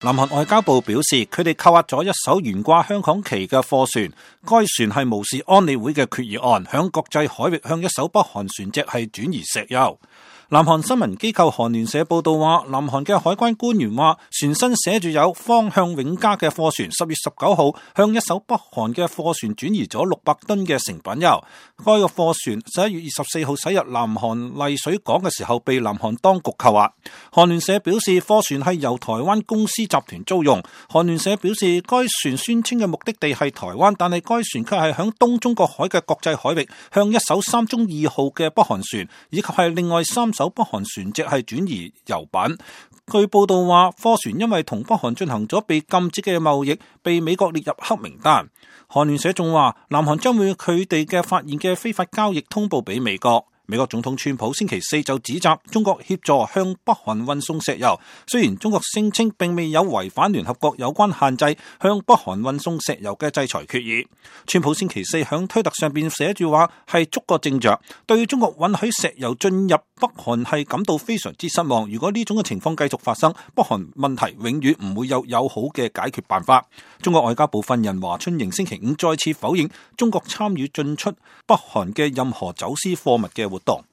南韓外交部表示，佢哋扣押咗一艘懸掛香港旗嘅貨船，該船係無視安理會嘅決議案，響國際海域向一艘北韓船隻係轉移石油。南韓新聞機構韓聯社報道話，南韓嘅海關官員話，船身寫住有方向永嘉嘅貨船10月19號向一艘北韓嘅貨船轉移咗600噸嘅成品油。該個貨船11月24號駛入南韓麗水港嘅時候被南韓當局扣押。韓聯社表示，貨船係由台灣公司集團租用。韓聯社表示，該船宣稱嘅目的地係台灣，但係該船卻係響東中國海嘅國際海域向一艘三中2號嘅北韓船以及係另外3艘北韓船隻係轉移油品。據報道話，貨船因為同北韓進行咗被禁止嘅貿易，被美國列入黑名單。韓聯社仲話，南韓將會佢哋嘅發現嘅非法交易通報俾美國。美國總統川普星期4就指責中國協助向北韓運送石油，雖然中國聲稱並未有違反聯合國有關限制向北韓運送石油嘅制裁決議。川普星期4響推特上邊寫住話係觸覺正着，對中國允許石油進入北韓係感到非常之失望。如果呢種嘅情況繼續發生，北韓問題永遠唔會有友好嘅解決辦法。中國外交部發言人華春瑩星期5再次否認中國參與進出北韓嘅任何走私貨物嘅活動。